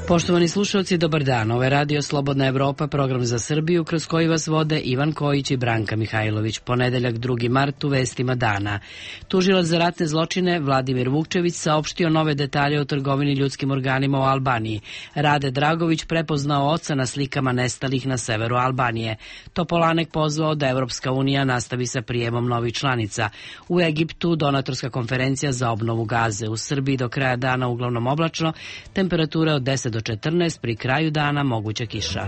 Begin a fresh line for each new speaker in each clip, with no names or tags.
Poštovani slušalci, dobar dan. Ovo je Radio Slobodna Evropa, program za Srbiju, kroz koji vas vode Ivan Kojić i Branka Mihajlović. Ponedeljak 2. mart u vestima dana. Tužilac za ratne zločine Vladimir Vukčević saopštio nove detalje o trgovini ljudskim organima u Albaniji. Rade Dragović prepoznao oca na slikama nestalih na severu Albanije. Topolanek pozvao da Evropska unija nastavi sa prijemom novih članica. U Egiptu donatorska konferencija za obnovu Gaze. U Srbiji do kraja dana uglavnom oblačno, temperatura od 10 do 14, pri kraju dana moguća kiša.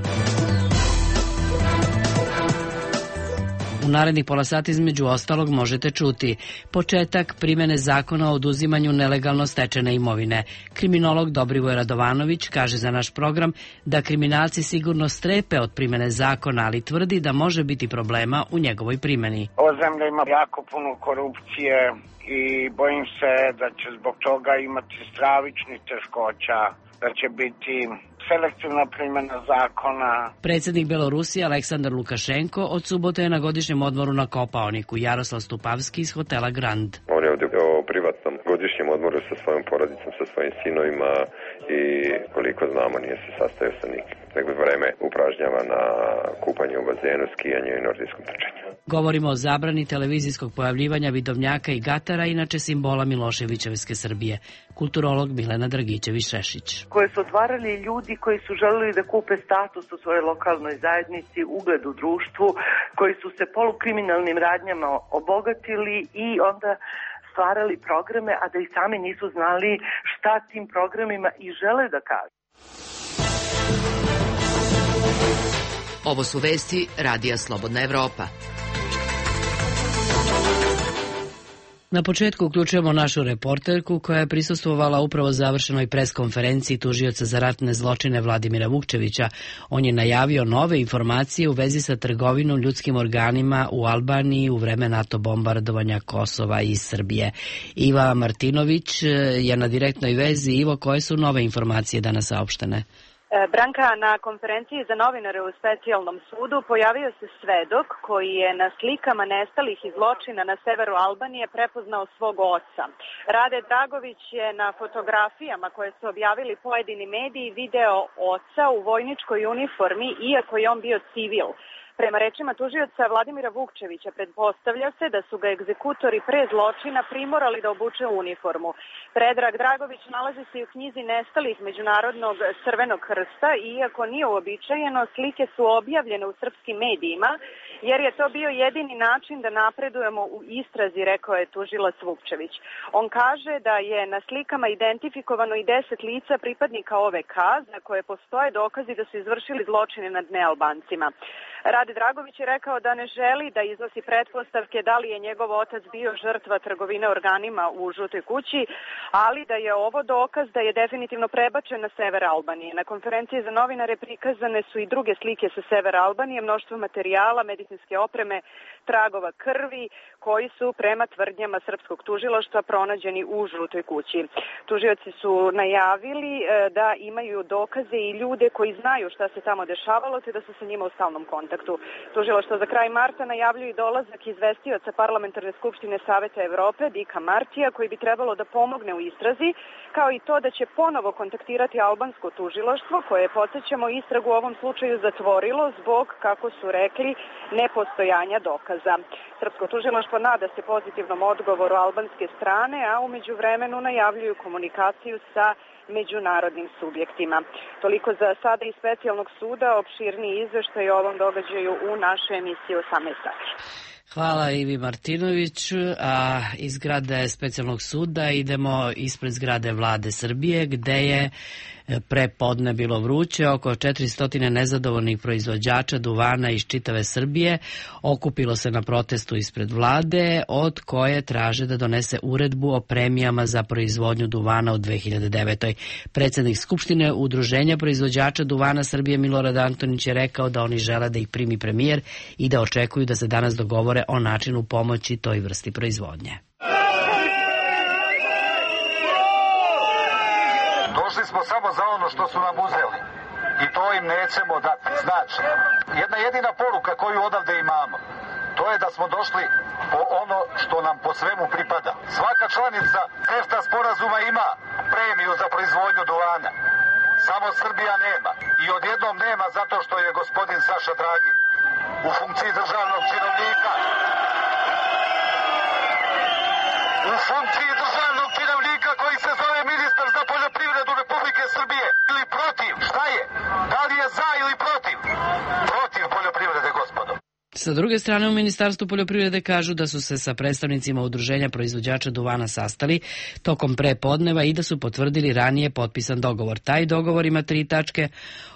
U narednih pola sata između ostalog možete čuti početak primene zakona o oduzimanju nelegalno stečene imovine. Kriminolog Dobrivoje Radovanović kaže za naš program da kriminalci sigurno strepe od primene zakona, ali tvrdi da može biti problema u njegovoj primeni.
Ova zemlja ima jako puno korupcije i bojim se da će zbog toga imati stravičnih teškoća, da će biti selektivna primjena zakona.
Predsjednik Belorusije Aleksandar Lukašenko od subote je na godišnjem odmoru na Kopaoniku. Jaroslav Stupavski iz hotela Grand.
On je ovdje o privatnom godišnjem odmoru sa svojom porodicom, sa svojim sinovima i koliko znamo nije se sastajao sa nikim. Nego vreme upražnjava na kupanju u bazenu, skijanju i nordijskom trčanju.
Govorimo o zabrani televizijskog pojavljivanja vidovnjaka i gatara, inače simbola Miloševićevske Srbije. Kulturolog Milena Dragićević-Šešić.
Koje su otvarali ljudi koji su želeli da kupe status u svojoj lokalnoj zajednici, ugled u društvu, koji su se polukriminalnim radnjama obogatili i onda stvarali programe, a da i sami nisu znali šta tim programima i žele da kažu.
Ovo su vesti Radija Slobodna Evropa.
Na početku uključujemo našu reporterku koja je prisustvovala upravo završenoj preskonferenciji tužioca za ratne zločine Vladimira Vukčevića. On je najavio nove informacije u vezi sa trgovinom ljudskim organima u Albaniji u vreme NATO bombardovanja Kosova i Srbije. Iva Martinović je na direktnoj vezi. Ivo, koje su nove informacije danas saopštene?
Branka, na konferenciji za novinare u specijalnom sudu pojavio se svedok koji je na slikama nestalih iz zločina na severu Albanije prepoznao svog oca. Rade Dragović je na fotografijama koje su objavili pojedini mediji video oca u vojničkoj uniformi, iako je on bio civil. Prema rečima tužioca Vladimira Vukčevića, pretpostavlja se da su ga egzekutori pre zločina primorali da obuče uniformu. Predrag Dragović nalazi se i u knjizi nestalih Međunarodnog Crvenog krsta i iako nije uobičajeno, slike su objavljene u srpskim medijima, jer je to bio jedini način da napredujemo u istrazi, rekao je tužilac Vukčević. On kaže da je na slikama identifikovano i 10 lica pripadnika OVK, za koje postoje dokazi da su izvršili zločine nad nealbancima. Rade Dragović je rekao da ne želi da iznosi pretpostavke da li je njegov otac bio žrtva trgovine organima u Žutoj kući, ali da je ovo dokaz da je definitivno prebačen na sever Albanije. Na konferenciji za novinare prikazane su i druge slike sa severa Albanije, mnoštvo materijala, medicinske opreme, tragova krvi, koji su prema tvrdnjama srpskog tužilaštva pronađeni u Žutoj kući. Tužioci su najavili da imaju dokaze i ljude koji znaju šta se tamo dešavalo, te da su sa njima u stalnom kontaktu. Tužilaštvo za kraj marta najavljuje dolazak izvestioca Parlamentarne skupštine Saveta Evrope, Dika Martija, koji bi trebalo da pomogne u istrazi, kao i to da će ponovo kontaktirati albansko tužilaštvo, koje je, podsjećamo, istragu u ovom slučaju zatvorilo zbog, kako su rekli, nepostojanja dokaza. Srpsko tužilaštvo nada se pozitivnom odgovoru albanske strane, a umeđu vremenu najavljuju komunikaciju sa međunarodnim subjektima. Toliko za sada iz specijalnog suda, opširniji izveštaj o ovom događaju u našoj emisiji 18 sati.
Hvala Ivi Martinović, a iz zgrade specijalnog suda idemo ispred zgrade Vlade Srbije, gde je pre podne bilo vruće. Oko 400 nezadovoljnih proizvođača duvana iz čitave Srbije okupilo se na protestu ispred vlade, od koje traže da donese uredbu o premijama za proizvodnju duvana u 2009. Predsjednik Skupštine Udruženja proizvođača duvana Srbije Milorad Antonić je rekao da oni žele da ih primi premijer i da očekuju da se danas dogovore o načinu pomoći toj vrsti proizvodnje.
Došli smo samo za ono što su nam uzeli i to im nećemo dati. Znači, jedna jedina poruka koju odavde imamo, to je da smo došli po ono što nam po svemu pripada. Svaka članica CEFTA sporazuma ima premiju za proizvodnju duvana. samo Srbija nema. I odjednom nema zato što je gospodin Saša Dragin u funkciji državnog činovnika. U funkciji državnog činovnika koji se zove ministar za poljoprivredu Republike Srbije. Ili protiv, šta je? Da li je za ili protiv? Protiv poljoprivrede, gospodo.
Sa druge strane, u Ministarstvu poljoprivrede kažu da su se sa predstavnicima udruženja proizvođača duvana sastali tokom prepodneva i da su potvrdili ranije potpisan dogovor. Taj dogovor ima 3 tačke,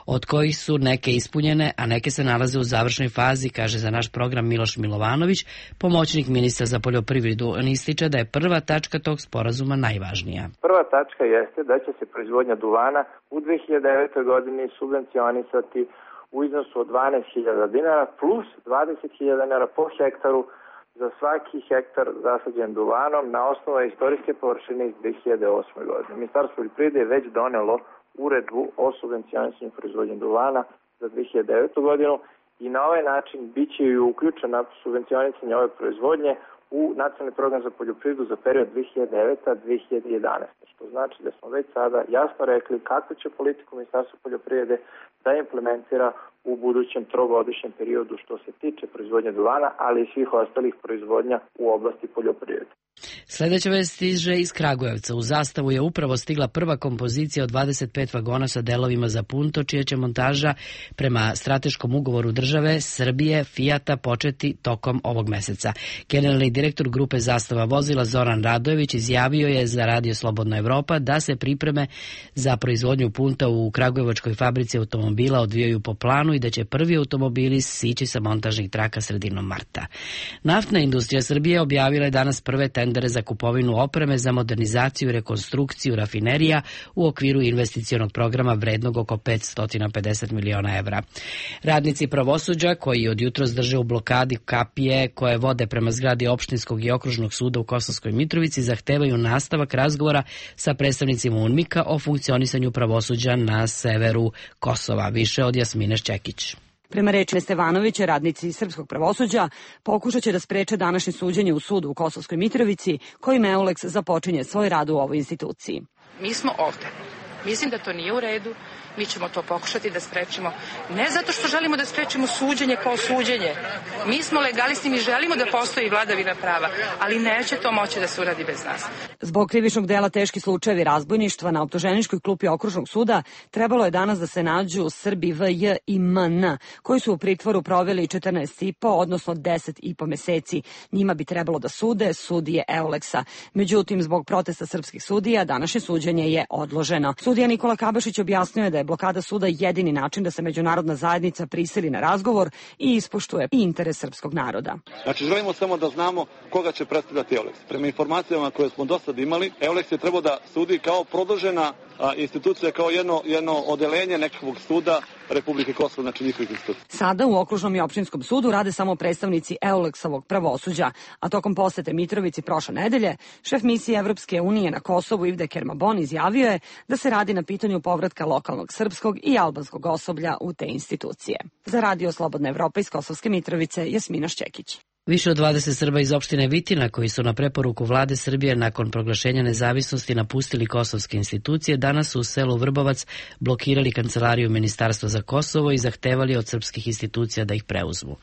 od kojih su neke ispunjene, a neke se nalaze u završnoj fazi, kaže za naš program Miloš Milovanović, pomoćnik ministra za poljoprivredu. On ističe da je prva tačka tog sporazuma najvažnija.
Prva tačka jeste da će se proizvodnja duvana u 2009. godini subvencionisati u iznosu od 12.000 dinara plus 20.000 dinara po hektaru za svaki hektar zasađen duvanom na osnovu istorijske površine iz 2008. godine. Ministarstvo poljoprivrede je već donelo uredbu o subvencionisanju proizvodnje duvana za 2009. godinu i na ovaj način biće i uključena subvencionisanje ove proizvodnje u nacionalni program za poljoprivredu za period 2009-2011. Što znači da smo već sada jasno rekli kakvu će politiku Ministarstva poljoprivrede da implementira u budućem trogodišnjem periodu što se tiče proizvodnje duvana, ali i svih ostalih proizvodnja u oblasti poljoprivrede.
Sljedeća vest stiže iz Kragujevca. U Zastavu je upravo stigla prva kompozicija od 25 vagona sa delovima za punto, čija će montaža prema strateškom ugovoru države Srbije Fijata početi tokom ovog meseca. Generalni direktor grupe Zastava vozila Zoran Radojević izjavio je za Radio Slobodna Evropa da se pripreme za proizvodnju punta u kragujevačkoj fabrici automobila odvijaju po planu i da će prvi automobili sići sa montažnih traka sredinom marta. Naftna industrija Srbije objavila je danas prve tendere za kupovinu opreme za modernizaciju i rekonstrukciju rafinerija u okviru investicionog programa vrednog oko 550 miliona evra. Radnici pravosuđa, koji od jutros drže u blokadi kapije koje vode prema zgradi opštinskog i okružnog suda u Kosovskoj Mitrovici, zahtevaju nastavak razgovora sa predstavnicima UNMIK-a o funkcionisanju pravosuđa na severu Kosova. Više od Jasmine Šćekić.
Prema reči Stevanovića, radnici srpskog pravosuđa pokušat će da spreče današnje suđenje u sudu u Kosovskoj Mitrovici, kojim EULEX započinje svoj rad u ovoj instituciji.
Mi smo ovde. Mislim da to nije u redu. Mi ćemo to pokušati da sprečimo. Ne zato što želimo da sprečimo suđenje kao suđenje. Mi smo legalisti, mi želimo da postoji vladavina prava, ali neće to moći da se uradi bez nas.
Zbog krivičnog dela teški slučajevi razbojništva na optuženičkoj klupi okružnog suda trebalo je danas da se nađu Srbi VJ i MN, koji su u pritvoru proveli 14,5, odnosno 10,5 meseci. Njima bi trebalo da sude sudije EULEX-a. Međutim, zbog protesta srpskih sudija, današnje suđenje je odloženo. Sudija Nikola Kabašić objasnio je da je blokada suda jedini način da se međunarodna zajednica prisili na razgovor i ispoštuje interes srpskog naroda.
Znači, želimo samo da znamo koga će predstavljati EULEX. Prema informacijama koje smo do sad imali, EULEX je trebao da sudi kao produžena institucija, kao jedno odelenje nekakvog suda Republike Kosovo, znači njihovih institucija.
Sada u okružnom i opštinskom sudu rade samo predstavnici EULEX-ovog pravosuđa, a tokom posete Mitrovici prošle nedelje, šef misije Evropske unije na Kosovu Ivde Kermabon izjavio je da se radi na pitanju povratka lokalnog srpskog i albanskog osoblja u te institucije. Za Radio Slobodna Evropa iz Kosovske Mitrovice, Jasmina Šćekić.
Više od 20 Srba iz opštine Vitina, koji su na preporuku vlade Srbije nakon proglašenja nezavisnosti napustili kosovske institucije, danas su u selu Vrbovac blokirali kancelariju Ministarstva za Kosovo i zahtevali od srpskih institucija da ih preuzmu.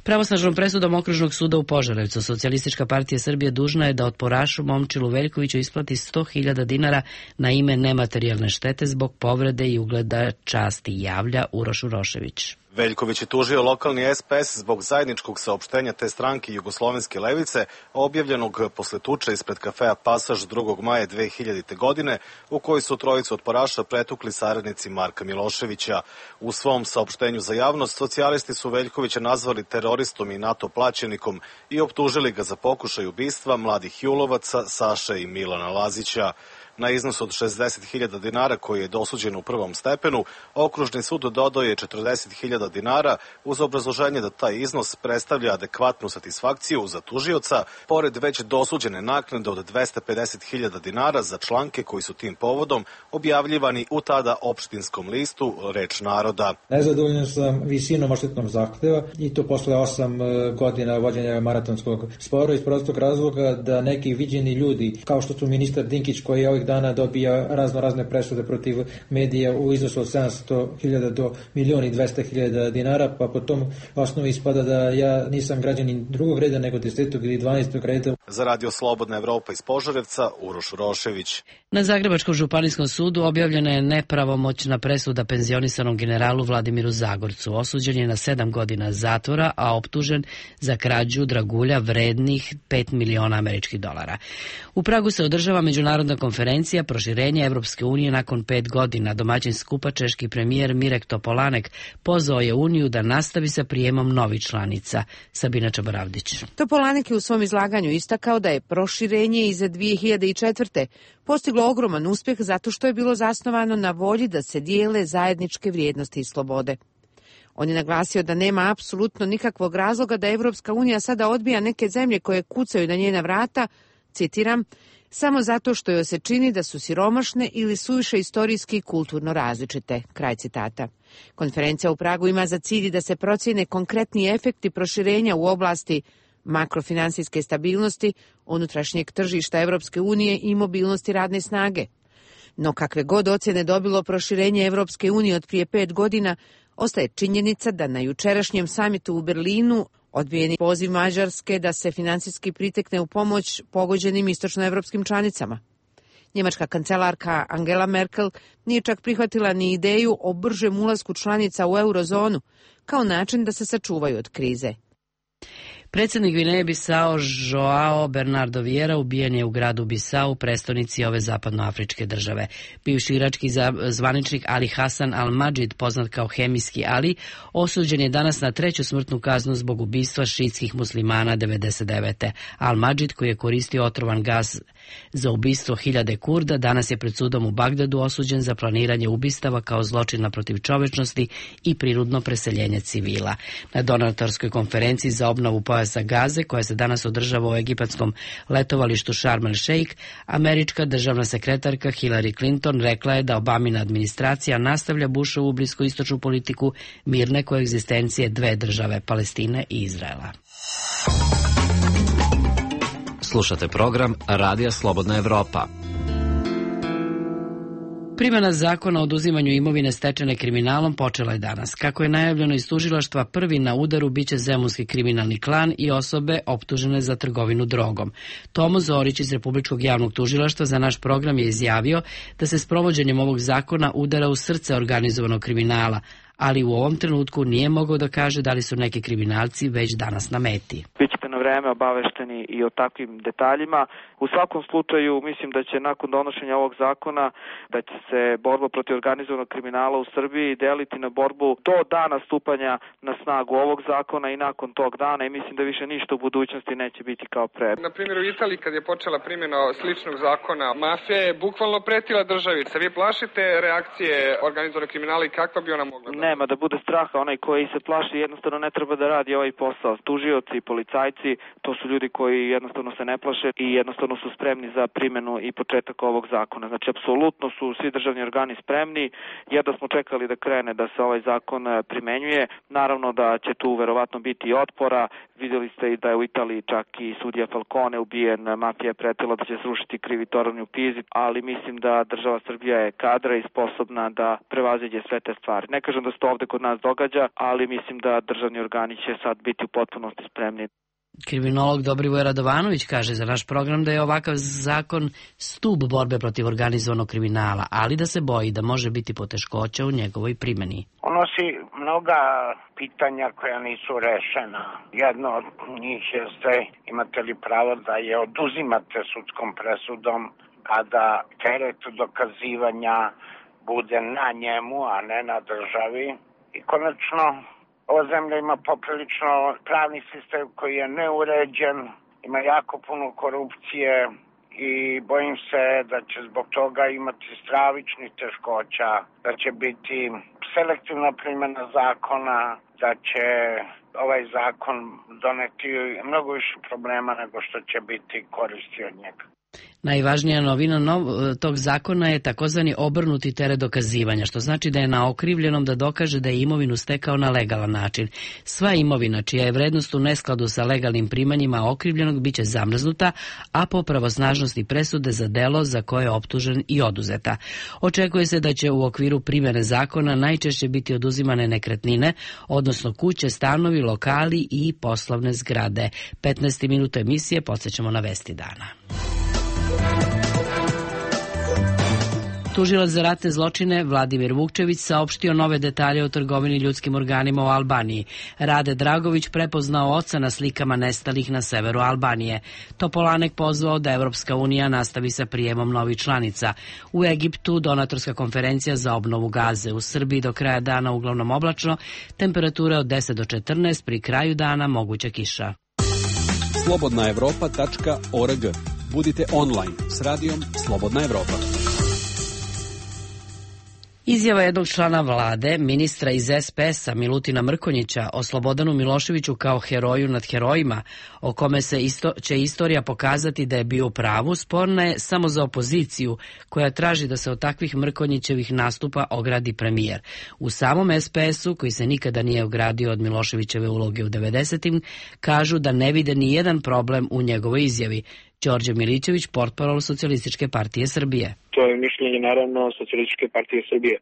Pravosnažnom presudom okružnog suda u Požarevcu, Socijalistička partija Srbije dužna je da otporašu Momčilu Veljkoviću isplati 100.000 dinara na ime nematerijalne štete zbog povrede i ugleda časti, javlja Uroš Urošević.
Veljković je tužio lokalni SPS zbog zajedničkog saopštenja te stranke Jugoslovenske levice, objavljenog posle tuče ispred kafea Pasaž 2. maja 2000. godine, u kojoj su trojicu otporaša pretukli saradnici Marka Miloševića. U svom saopštenju za javnost, socijalisti su Veljkovića nazvali teroristom i NATO plaćenikom i optužili ga za pokušaj ubistva mladih Julovaca, Saše i Milana Lazića. Na iznos od 60.000 dinara koji je dosuđen u prvom stepenu, okružni sud dodao je 40.000 dinara uz obrazloženje da taj iznos predstavlja adekvatnu satisfakciju za tužioca, pored već dosuđene naknade od 250.000 dinara za članke koji su tim povodom objavljivani u tada opštinskom listu Reč naroda.
Nezadovoljan sam visinom odštetnog zahteva i to posle 8 godina vođenja maratonskog spora iz prostog razloga da neki viđeni ljudi, kao što su ministar Dinkić koji je ovih dana dobija razne presude protiv medija u iznosu od 700.000 do 1.200.000 dinara, pa po tom osnovu ispada da ja nisam građanin drugog reda nego 10. ili 12. reda.
Za Radio Slobodna Evropa iz Požarevca, Uroš Urošević.
Na Zagrebačkom županijskom sudu objavljena je nepravomoćna presuda penzionisanom generalu Vladimiru Zagorcu. Osuđen je na 7 godina zatvora, a optužen za krađu dragulja vrednih 5 miliona američkih dolara. U Pragu se održava međunarodna konferencija proširenja Evropske unije nakon 5 godina. Domaćin skupa češki premijer Mirek Topolanek pozvao je Uniju da nastavi sa prijemom novih članica. Sabina Čabaravdić.
Topolanek je u svom izlaganju istakao da je proširenje iz 2004. postiglo ogroman uspjeh zato što je bilo zasnovano na volji da se dijele zajedničke vrijednosti i slobode. On je naglasio da nema apsolutno nikakvog razloga da Evropska unija sada odbija neke zemlje koje kucaju na njena vrata, citiram, samo zato što joj se čini da su siromašne ili suviše istorijski i kulturno različite. Kraj citata. Konferencija u Pragu ima za cilj da se procijene konkretni efekti proširenja u oblasti makrofinansijske stabilnosti, unutrašnjeg tržišta Evropske unije i mobilnosti radne snage. No kakve god ocjene dobilo proširenje Evropske unije od prije 5 godina, ostaje činjenica da na jučerašnjem samitu u Berlinu odbijen je poziv Mađarske da se finansijski pritekne u pomoć pogođenim istočnoevropskim članicama. Njemačka kancelarka Angela Merkel nije čak prihvatila ni ideju o bržem ulasku članica u eurozonu kao način da se sačuvaju od krize.
Predsjednik Gvineje Bisao Joao Bernardo Vieira ubijen je u gradu Bisau, prestonici ove zapadnoafričke države. Bivši irački zvaničnik Ali Hasan al-Madžid, poznat kao Hemijski Ali, osuđen je danas na 3. smrtnu kaznu zbog ubistva šiitskih muslimana 99. Al-Madžid, koji je koristio otrovan gas za ubistvo 1000 Kurda, danas je pred sudom u Bagdadu osuđen za planiranje ubistava kao zločina protiv čovečnosti i prinudno preseljenje civila. Na donatorskoj konferenciji za obnovu pojasa Gaze, koja se danas održava u egipatskom letovalištu Sharm el Sheikh, američka državna sekretarka Hillary Clinton rekla je da Obamina administracija nastavlja Bushovu bliskoistočnu politiku mirne koegzistencije dve države, Palestine i Izraela.
Slušate program Radija Slobodna Evropa.
Primjena zakona o oduzimanju imovine stečene kriminalom počela je danas. Kako je najavljeno iz tužilaštva, prvi na udaru biće zemunski kriminalni klan i osobe optužene za trgovinu drogom. Tomo Zorić iz Republičkog javnog tužilaštva za naš program je izjavio da se s provođenjem ovog zakona udara u srce organizovanog kriminala, ali u ovom trenutku nije mogao da kaže da li su neki kriminalci već danas na meti.
Bićete na vreme obavešteni i o takvim detaljima. U svakom slučaju mislim da će nakon donošenja ovog zakona da će se borba protiv organizovanog kriminala u Srbiji deliti na borbu do dana stupanja na snagu ovog zakona i nakon tog dana i mislim da više ništa u budućnosti neće biti kao pre.
Na primjer u Italiji kad je počela primjena sličnog zakona, mafija je bukvalno pretila državi. Se vi plašite reakcije organizovanog kriminala i kakva bi ona mogla da?
Nema da bude straha, onaj koji se plaši jednostavno ne treba da radi ovaj posao. Tužioci, policajci, to su ljudi koji jednostavno se ne plaše i jednostavno su spremni za primjenu i početak ovog zakona. Znači, apsolutno su svi državni organi spremni, jer da smo čekali da krene da se ovaj zakon primenjuje. Naravno da će tu verovatno biti i otpora. Vidjeli ste i da je u Italiji čak i sudija Falcone ubijen, mafija je pretila da će srušiti krivi toranj u Pizi, ali mislim da država Srbija je kadra i sposobna da prevaziđe sve te stvari. Ne kažem da se to ovde kod nas događa, ali mislim da državni organi će sad biti u potpunosti spremni.
Kriminolog Dobrivoje Radovanović kaže za naš program da je ovakav zakon stub borbe protiv organizovanog kriminala, ali da se boji da može biti poteškoća u njegovoj primjeni.
Unosi mnoga pitanja koja nisu rešena. Jedno od njih jeste imate li pravo da je oduzimate sudskom presudom, a da teret dokazivanja bude na njemu, a ne na državi. I konačno, ova zemlja ima poprilično pravni sistem koji je neuređen, ima jako puno korupcije i bojim se da će zbog toga imati stravičnih teškoća, da će biti selektivna primjena zakona, da će ovaj zakon doneti mnogo više problema nego što će biti koristi od njega.
Najvažnija novina tog zakona je takozvani obrnuti teret dokazivanja, što znači da je na okrivljenom da dokaže da je imovinu stekao na legalan način. Sva imovina čija je vrednost u neskladu sa legalnim primanjima okrivljenog biće zamrznuta, a po pravosnažnosti presude za delo za koje je optužen i oduzeta. Očekuje se da će u okviru primjene zakona najčešće biti oduzimane nekretnine, odnosno kuće, stanovi, lokali i poslovne zgrade. 15 minuta emisije, podsjećamo na vesti dana. Tužilac za ratne zločine Vladimir Vukčević saopštio nove detalje o trgovini ljudskim organima u Albaniji. Rade Dragović prepoznao oca na slikama nestalih na severu Albanije. Topolanek pozvao da Evropska unija nastavi sa prijemom novih članica. U Egiptu donatorska konferencija za obnovu Gaze. U Srbiji do kraja dana uglavnom oblačno, temperature od 10 do 14, pri kraju dana moguća kiša.
Slobodnaevropa.org. Budite online s radijom Slobodna Evropa.
Izjava jednog člana vlade, ministra iz SPS-a Milutina Mrkonjića, o Slobodanu Miloševiću kao heroju nad herojima, o kome će istorija pokazati da je bio u pravu, sporna je samo za opoziciju, koja traži da se od takvih Mrkonjićevih nastupa ogradi premijer. U samom SPS-u, koji se nikada nije ogradio od Miloševićeve uloge u 90-im, kažu da ne vide ni jedan problem u njegovoj izjavi. Đorđe Milićević, portparol Socijalističke partije Srbije.
To je mišljenje, naravno, Socijalističke partije Srbije.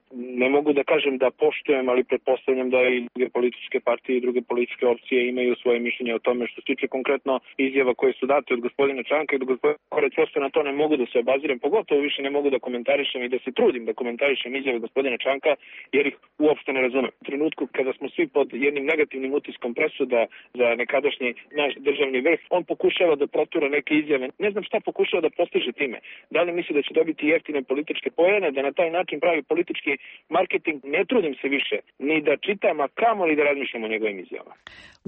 Ne mogu da kažem da poštujem, ali pretpostavljam da i druge političke partije i druge političke opcije imaju svoje mišljenje o tome. Što se tiče konkretno izjava koje su date od gospodina Čanka i od gospodina Korać, prosto na to ne mogu da se obazirem, pogotovo više ne mogu da komentarišem i da se trudim da komentarišem izjave gospodina Čanka, jer ih uopšte ne razumem. U trenutku kada smo svi pod jednim negativnim utiskom presuda za nekadašnji naš državni vrh, on pokušava da protura neke izjave. Ne znam šta pokušava da postiže time. Da li misli da će dobiti jeftine političke poene, da na taj način pravi politički marketing? Ne trudim se više ni da čitam, a kamoli da razmišljam o njegovim izjavama.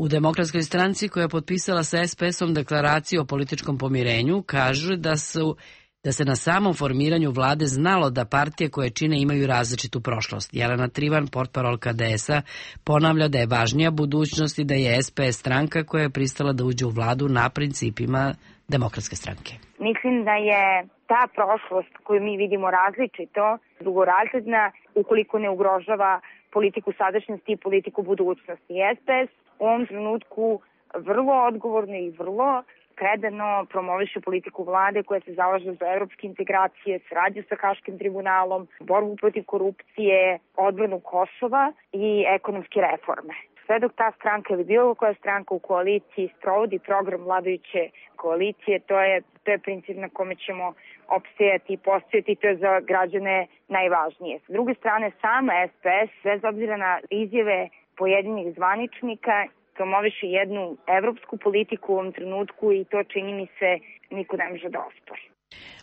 U Demokratskoj stranci, koja je potpisala sa SPS-om deklaraciju o političkom pomirenju, kažu da se na samom formiranju vlade znalo da partije koje čine imaju različitu prošlost. Jelena Trivan, portparolka DS-a, ponavlja da je važnija budućnost i da je SPS stranka koja je pristala da uđe u vladu na principima Demokratske stranke.
Mislim da je ta prošlost koju mi vidimo različito, drugorazredna, ukoliko ne ugrožava politiku sadašnjosti i politiku budućnosti. SPS u ovom trenutku vrlo odgovorno i vrlo predano promoviše politiku vlade koja se zalaže za evropske integracije, saradnju sa Haškim tribunalom, borbu protiv korupcije, odbranu Kosova i ekonomske reforme. Sve dok ta stranka ili bilo koja stranka u koaliciji sprovodi program vladajuće koalicije, to je princip na kome ćemo opstajati i postojati, to je za građane najvažnije. S druge strane, sama SPS, bez obzira na izjave pojedinih zvaničnika, promoviše jednu evropsku politiku u ovom trenutku i to, čini mi se, niko ne može da ospori.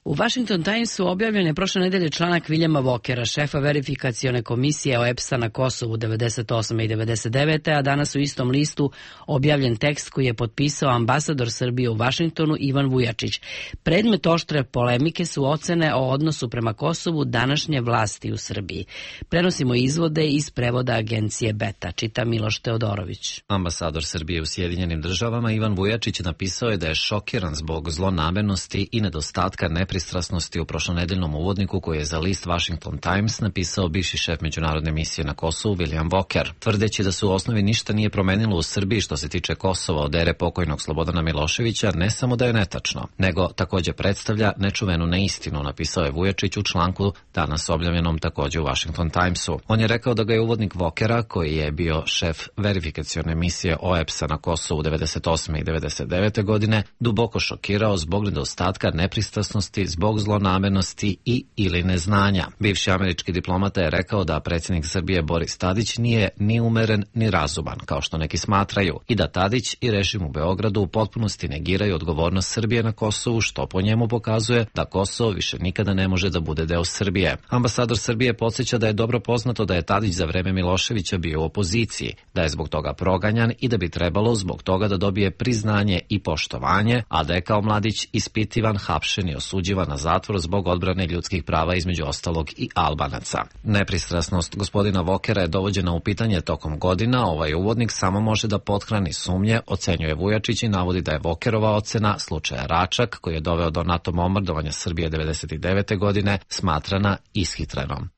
U Washington Timesu objavljen je prošle nedelje članak Viljama Vokera, šefa verifikacione komisije OEBS-a na Kosovu 98. i 99. a danas u istom listu objavljen tekst koji je potpisao ambasador Srbije u Vašingtonu Ivan Vujačić. Predmet oštre polemike su ocene o odnosu prema Kosovu današnje vlasti u Srbiji. Prenosimo izvode iz prevoda agencije Beta, čita Miloš Teodorović.
Ambasador Srbije u Sjedinjenim državama Ivan Vujačić napisao je da je šokiran zbog zlonamernosti i nedostatka nepristrasnosti u prošlonedeljnom uvodniku koji je za list Washington Times napisao bivši šef međunarodne misije na Kosovu William Walker, tvrdeći da se u osnovi ništa nije promenilo u Srbiji što se tiče Kosova od ere pokojnog Slobodana Miloševića, ne samo da je netačno, nego također predstavlja nečuvenu neistinu, napisao je Vujačić u članku danas objavljenom također u Washington Timesu. On je rekao da ga je uvodnik Walkera, koji je bio šef verifikacione misije OEBS-a na Kosovu 98. i 99. godine, duboko šokirao zbog nedostatka nepristrasnosti, zbog zlonamernosti i ili neznanja. Bivši američki diplomata je rekao da predsjednik Srbije Boris Tadić nije ni umeren ni razuman, kao što neki smatraju, i da Tadić i režim u Beogradu u potpunosti negiraju odgovornost Srbije na Kosovu, što po njemu pokazuje da Kosovo više nikada ne može da bude deo Srbije. Ambasador Srbije podsjeća da je dobro poznato da je Tadić za vreme Miloševića bio u opoziciji, da je zbog toga proganjan i da bi trebalo zbog toga da dobije priznanje i poštovanje, a da je kao mladić ispitivan, hapšen i osuđivan osuđivan na zatvor zbog odbrane ljudskih prava, između ostalog i Albanaca. Nepristrasnost gospodina Vokera je dovođena u pitanje tokom godina. Ovaj uvodnik samo može da pothrani sumnje, ocenjuje Vujačić i navodi da je Vokerova ocena slučaja Račak, koji je doveo do NATO bombardovanja Srbije 1999. godine, smatrana ishitrenom.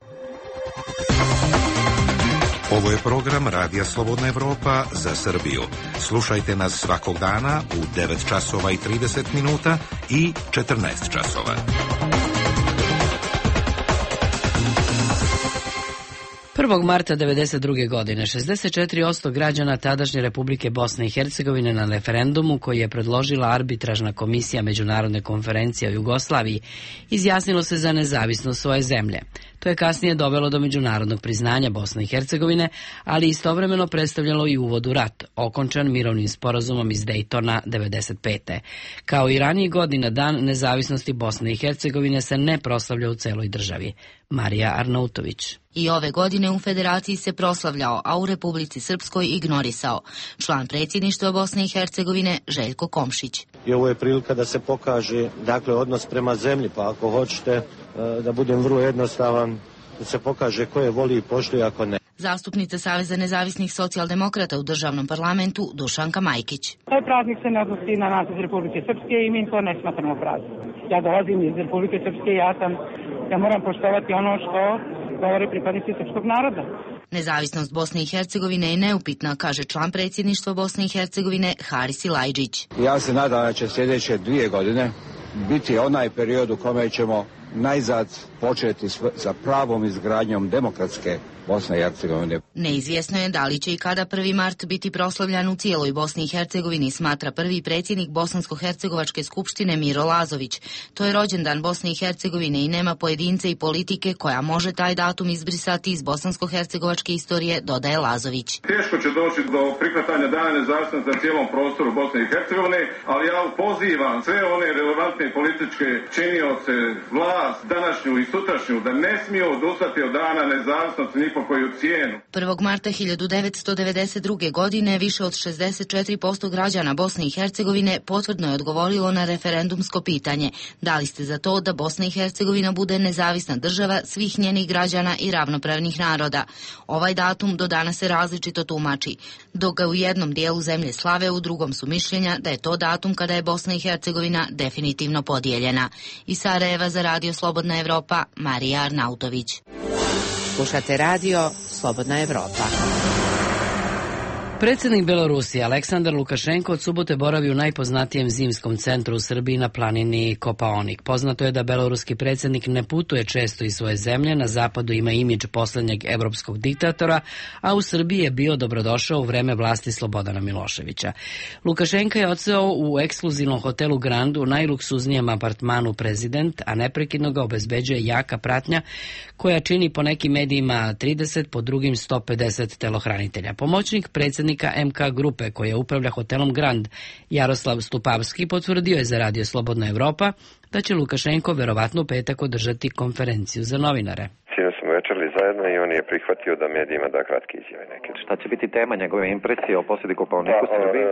Ovo je program Radija Slobodna Evropa za Srbiju. Slušajte nas svakog dana u 9 časova i 30 minuta i 14 časova.
Marta 1992. godine 64% građana tadašnje Republike Bosne i Hercegovine na referendumu koji je predložila arbitražna komisija Međunarodne konferencije o Jugoslaviji izjasnilo se za nezavisnost svoje zemlje. To je kasnije dovelo do međunarodnog priznanja Bosne i Hercegovine, ali istovremeno predstavljalo i uvod u rat, okončan mirovnim sporazumom iz Dejtona 1995. Kao i ranijih godina, dan nezavisnosti Bosne i Hercegovine se ne proslavlja u celoj državi. Marija Arnautović.
I ove godine u Federaciji se proslavljao, a u Republici Srpskoj ignorisao. Član predsjedništva Bosne i Hercegovine Željko Komšić.
I ovo je prilika da se pokaže, dakle, odnos prema zemlji, pa ako hoćete da budem vrlo jednostavan, da se pokaže ko je voli i poštuje, ako ne.
Zastupnica Saveza nezavisnih socijaldemokrata u državnom parlamentu Dušanka Majkić.
Taj praznik se ne odnosi na nas iz Republike Srpske i mi to ne smatramo praznik. Ja dolazim iz Republike Srpske i ja moram poštovati ono što govore pripadnici srpskog naroda.
Nezavisnost Bosne i Hercegovine je neupitna, kaže član predsjedništva Bosne i Hercegovine Haris Ilajđić.
Ja se nadam da će sljedeće 2 godine biti onaj period u kome ćemo najzad početi sa pravom izgradnjom demokratske Bosne i Hercegovine.
Neizvjesno je da li će i kada 1. mart biti proslavljan u cijeloj Bosni i Hercegovini, smatra prvi predsjednik Bosansko-hercegovačke skupštine Miro Lazović. To je rođendan Bosne i Hercegovine i nema pojedince i politike koja može taj datum izbrisati iz bosansko-hercegovačke istorije, dodaje Lazović.
Teško će doći do prihvatanja dana nezavisnosti na cijelom prostoru Bosne i Hercegovine, ali ja pozivam sve one relevantne političke činioce, vlast, današnju i sutrašnju, da ne smiju odustati od dana nezavisnosti ni po koju cijenu.
1. marta 1992. godine više od 64% građana Bosne i Hercegovine potvrdno je odgovorilo na referendumsko pitanje. Da li ste za to da Bosna i Hercegovina bude nezavisna država svih njenih građana i ravnopravnih naroda? Ovaj datum do danas se različito tumači. Dok ga u jednom dijelu zemlje slave, u drugom su mišljenja da je to datum kada je Bosna i Hercegovina definitivno podijeljena. Iz Sarajeva za Radio Slobodna Evropa, Marija Arnautović.
Slušate radio Slobodna Evropa.
Predsjednik Belorusije Aleksandar Lukašenko od subote boravi u najpoznatijem zimskom centru u Srbiji na planini Kopaonik. Poznato je da beloruski predsjednik ne putuje često iz svoje zemlje, na zapadu ima imidž posljednjeg evropskog diktatora, a u Srbiji je bio dobrodošao u vreme vlasti Slobodana Miloševića. Lukašenka je odseo u ekskluzivnom hotelu Grand u najluksuznijem apartmanu Prezident, a neprekidno ga obezbeđuje jaka pratnja koja čini po nekim medijima 30, po drugim 150 telohranitelja. Pomoćnik predsjednika MK grupe koja upravlja hotelom Grand, Jaroslav Stupavski, potvrdio je za Radio Slobodna Evropa da će Lukašenko verovatno u petak održati konferenciju za novinare.
Sinoć smo večerali zajedno i on je prihvatio da medijima da kratke izjave neke.
Šta će biti tema njegove impresije o posjeti Kopaoniku Srbiji?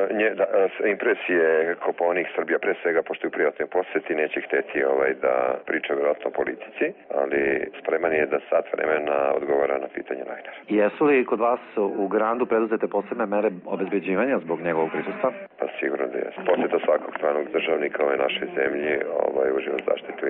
Impresije Kopaonik Srbija pre svega, pošto je u privatnoj posjeti, neće hteti da priča vjerojatno o politici, ali spreman je da sat vremena odgovara na pitanje novinara.
Jesu li kod vas u Grandu preduzete posebne mere obezbeđivanja zbog njegovog prisustva?
Pa sigurno da je. Posjeta svakog stranog državnika ove naše zemlje uživa zaštitu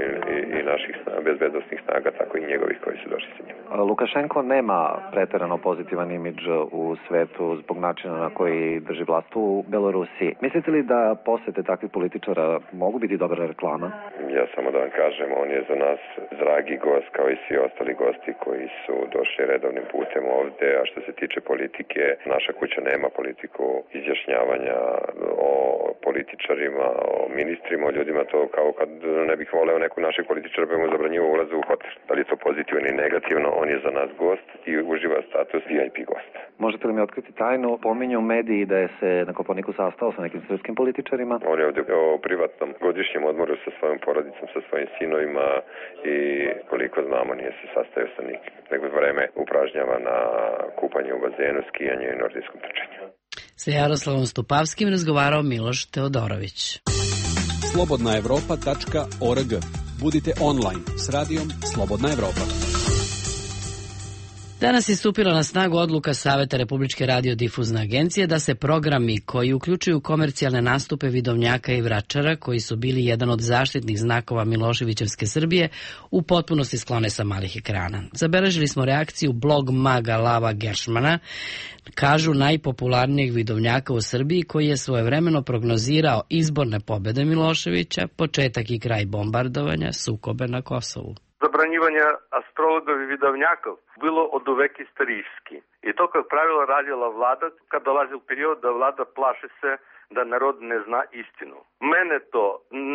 i naših bezbednostnih snaga, tako i njegovih koji su došli sa njima.
Lukašenko nema preterano pozitivan imidž u svetu zbog načina na koji drži vlast u Belorusiji. Mislite li da posete takvih političara mogu biti dobra reklama?
Ja samo da vam kažem, on je za nas dragi gost kao i svi ostali gosti koji su došli redovnim putem ovde, a što se tiče politike, naša kuća nema politiku izjašnjavanja o političarima, o ministrima, o ljudima, to kao kad ne bih voleo neku našeg političara pa mu zabranjivo ulazu u hotel. Da li je to pozitivno ili negativno, on je za nas gost i uživa status VIP gosta.
Možete li mi otkriti tajnu? Pominju mediji da je se na Kopaoniku sastao sa nekim srpskim političarima.
On je ovdje o privatnom godišnjem odmoru sa svojom porodicom, sa svojim sinovima i koliko znamo nije se sastajao sa nikim. Nego vreme upražnjava na kupanje u bazenu, skijanju i nordijskom trčanju.
Sa Jaroslavom Stupavskim razgovarao Miloš Teodorović.
Slobodnaevropa.org. Budite online s radijom Slobodna Evropa.
Danas je stupila na snagu odluka Saveta Republičke radiodifuzne agencije da se programi koji uključuju komercijalne nastupe vidovnjaka i vračara, koji su bili jedan od zaštitnih znakova Miloševićevske Srbije, u potpunosti sklone sa malih ekrana. Zabeležili smo reakciju blog maga Lava Geršmana, kažu najpopularnijeg vidovnjaka u Srbiji, koji je svojevremeno prognozirao izborne pobede Miloševića, početak i kraj bombardovanja, sukobe na Kosovu.
Zabranjivanje astrologov i vidovnjakov bilo od uvek istorijski. I to, kao pravilo, radila vlada kad dolazi u period da vlada plaše se da narod ne zna istinu. Mene to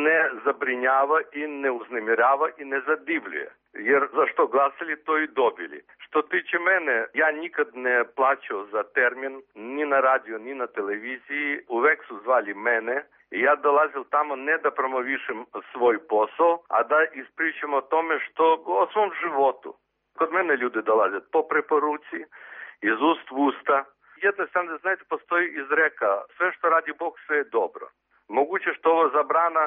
ne zabrinjava i ne uznemirava i ne zadivljuje. Jer za što glasili, to i dobili. Što tiče mene, ja nikad ne plaćao za termin, ni na radio, ni na televiziji. Uvek su zvali mene. I ja dolazil tamo ne da promovišem svoj posao, a da ispričam o tome o svom životu. Kod mene ljudi dolaze po preporuci, iz ust v usta. Jednostavno, znate, postoji izreka, sve što radi Bog, sve je dobro. Moguće što ovo zabrana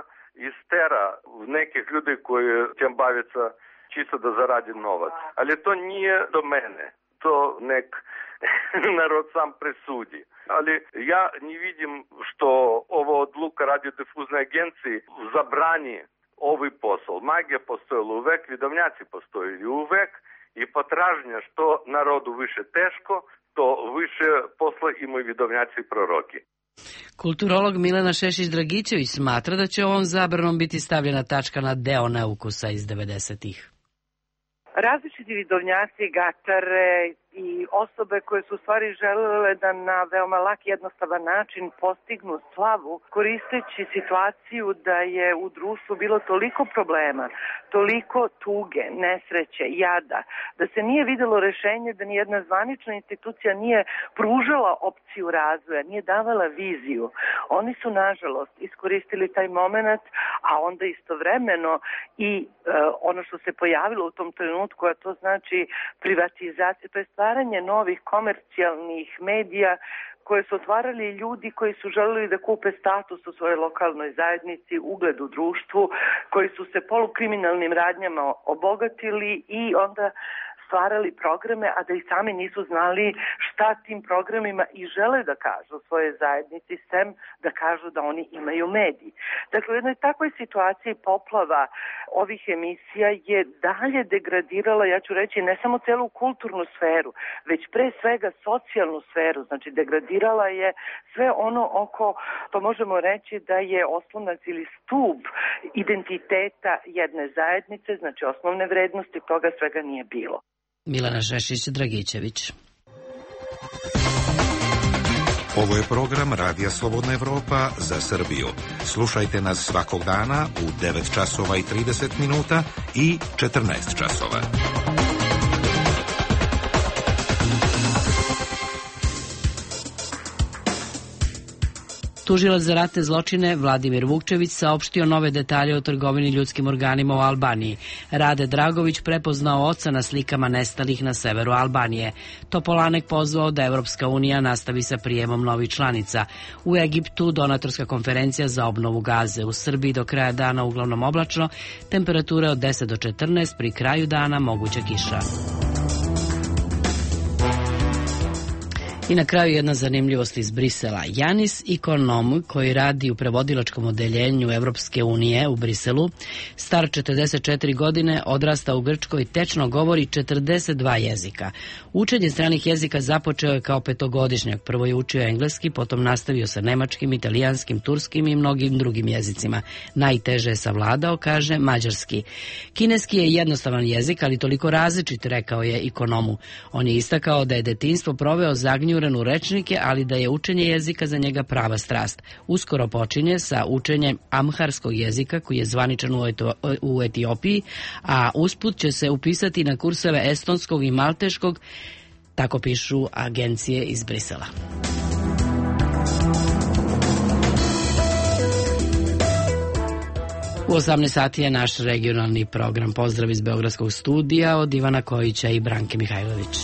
istera nekih ljudi koji tem bavica čisto da zaradi novac. Ali to nije do mene. To nek narod sam presudi. Ali ja ne vidim što ovo odluka radiodifuzne agencije zabrani ovaj posao. Magija postojala uvek, vidovnjaci postojili uvek i potražnja što narodu više teško, to više posla imaju vidovnjaci i proroki.
Kulturolog Milena Šešić-Dragićević smatra da će ovom zabranom biti stavljena tačka na deo neukusa iz 90-ih.
Različiti vidovnjaci, gatare i osobe koje su u stvari želele da na veoma lak, jednostavan način postignu slavu, koristeći situaciju da je u društvu bilo toliko problema, toliko tuge, nesreće, jada, da se nije videlo rešenje, da nijedna zvanična institucija nije pružala opciju razvoja, nije davala viziju. Oni su, nažalost, iskoristili taj moment, a onda istovremeno i ono što se pojavilo u tom trenutku, a to znači privatizacija, to je stvaranje novih komercijalnih medija koje su otvarali ljudi koji su želeli da kupe status u svojoj lokalnoj zajednici, ugled u društvu, koji su se polukriminalnim radnjama obogatili i onda stvarali programe, a da i sami nisu znali šta tim programima i žele da kažu svoje zajednici, sem da kažu da oni imaju mediji. Dakle, u jednoj takvoj situaciji poplava ovih emisija je dalje degradirala, ja ću reći, ne samo celu kulturnu sferu, već pre svega socijalnu sferu, znači degradirala je sve ono oko, to možemo reći da je oslonac ili stub identiteta jedne zajednice, znači osnovne vrednosti, toga svega nije bilo.
Milena Šešić-Dragićević.
Ovo je program Radija Slobodna Evropa za Srbiju. Slušajte nas svakog dana u 9 časova i 30 minuta i 14 časova.
Tužilac za ratne zločine Vladimir Vukčević saopštio nove detalje o trgovini ljudskim organima u Albaniji. Rade Dragović prepoznao oca na slikama nestalih na severu Albanije. Topolanek pozvao da Evropska unija nastavi sa prijemom novih članica. U Egiptu donatorska konferencija za obnovu Gaze. U Srbiji do kraja dana uglavnom oblačno, temperature od 10 do 14, pri kraju dana moguća kiša. I na kraju jedna zanimljivost iz Brisela. Janis Ikonom, koji radi u prevodilačkom odeljenju Evropske unije u Briselu, star 44 godine, odrasta u Grčkoj, tečno govori 42 jezika. Učenje stranih jezika započeo je kao petogodišnjak. Prvo je učio engleski, potom nastavio sa nemačkim, italijanskim, turskim i mnogim drugim jezicima. Najteže je savladao, kaže, mađarski. Kineski je jednostavan jezik, ali toliko različit, rekao je Ikonomu. On je istakao da je detinjstvo proveo zagnjuren u rečnike, ali da je učenje jezika za njega prava strast. Uskoro počinje sa učenjem amharskog jezika, koji je zvaničan u Etiopiji, a usput će se upisati na kurseve estonskog i malteškog, tako pišu agencije iz Brisela. U 18 sati je naš regionalni program. Pozdrav iz Beogradskog studija od Ivana Kojića i Branke Mihajlović.